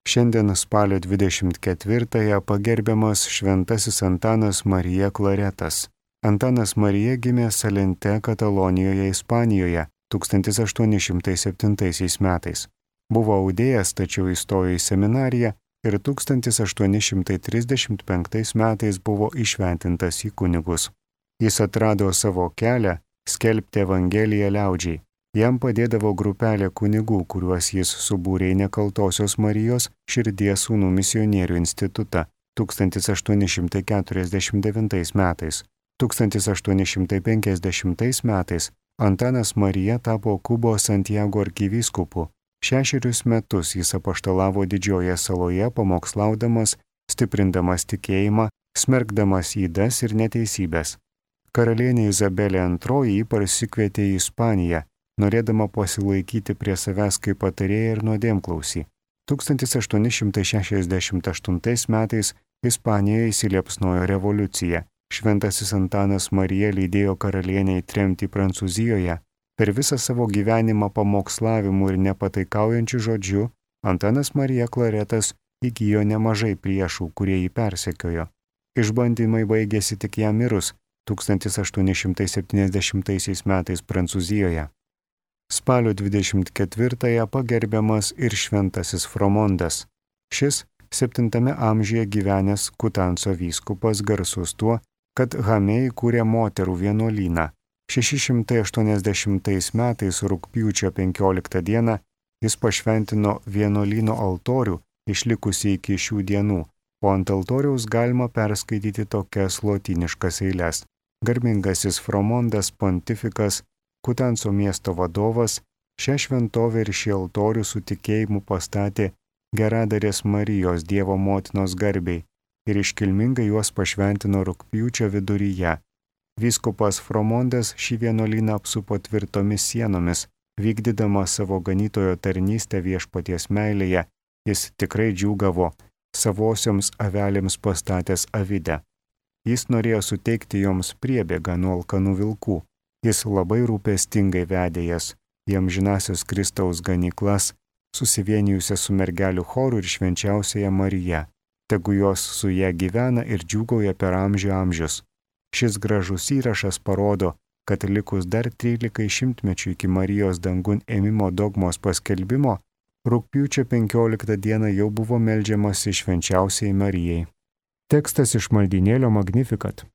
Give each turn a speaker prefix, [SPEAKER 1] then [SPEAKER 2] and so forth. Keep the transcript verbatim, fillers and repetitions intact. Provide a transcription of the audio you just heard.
[SPEAKER 1] Šiandien spalio dvidešimt ketvirtąją pagerbiamas šventasis Antanas Marija Klaretas. Antanas Marija gimė Salente, Katalonijoje, Ispanijoje tūkstantis aštuoni šimtai septintaisiais metais. Buvo audėjas, tačiau įstojo į seminariją ir tūkstantis aštuoni šimtai trisdešimt penktais metais buvo įšventintas į kunigus. Jis atrado savo kelią skelbti Evangeliją liaudžiai. Jam padėdavo grupelė kunigų, kuriuos jis subūrė į Nekaltosios Marijos Širdies sūnų misionierių institutą tūkstantis aštuoni šimtai keturiasdešimt devintais metais. tūkstantis aštuoni šimtai penkiasdešimtais metais Antanas Marija tapo Kubos Santiago arkivyskupu. Šešerius metus jis apaštalavo Didžiojoje saloje, pamokslaudamas, stiprindamas tikėjimą, smerkdamas ydas ir neteisybės. Karalienė Izabelė antroji jį parsikvietė į Ispaniją, norėdama pasilaikyti prie savęs kaip patarėją ir nuodėmklausį. tūkstantis aštuoni šimtai šešiasdešimt aštuntais metais Ispanijoje įsiliepsnojo revoliucija. Šventasis Antanas Marija lydėjo karalienę į tremtį Prancūzijoje. Per visą savo gyvenimą pamokslavimu ir nepataikaujančiu žodžiu Antanas Marija Klaretas įgijo nemažai priešų, kurie jį persekiojo. Išbandymai baigėsi tik jam mirus tūkstantis aštuoni šimtai septyniasdešimtaisiais metais Prancūzijoje. Spalio dvidešimt ketvirtąją pagerbiamas ir šventasis Fromondas. Šis septintame amžiuje gyvenęs Kutanso vyskupas garsus tuo, kad Hame įkūrė moterų vienuolyną. šeši šimtai aštuoniasdešimtais metais rugpjūčio penkioliktą dieną jis pašventino vienuolyno altorių, išlikusi iki šių dienų, o ant altoriaus galima perskaityti tokias lotyniškas eiles. Garbingasis Fromondas pontifikas, Kutanso miesto vadovas, šią šventovę ir šį altorių su tikėjimu pastatė Geradarės Marijos Dievo motinos garbei ir iškilmingai juos pašventino rugpjūčio viduryje. Vyskupas Fromondas šį vienuolyną apsupo tvirtomis sienomis, vykdydamas savo ganytojo tarnystę viešpaties meilėje, jis tikrai džiūgavo, savosioms avelėms pastatęs avidę. Jis norėjo suteikti joms priebėgą nuo alkanų vilkų. Jis labai rūpestingai vedė jas į amžinasios Kristaus ganyklas, susivienijusias su mergelių choru ir švenčiausiaja Marija. Tegu jos su ją gyvena ir džiūgauja per amžių amžius. Šis gražus įrašas parodo, kad likus dar trylikai šimtmečių iki Marijos dangun ėmimo dogmos paskelbimo, rugpjūčio penkioliktą dieną jau buvo meldžiamasi švenčiausiai Marijai. Tekstas iš maldynėlio Magnificat.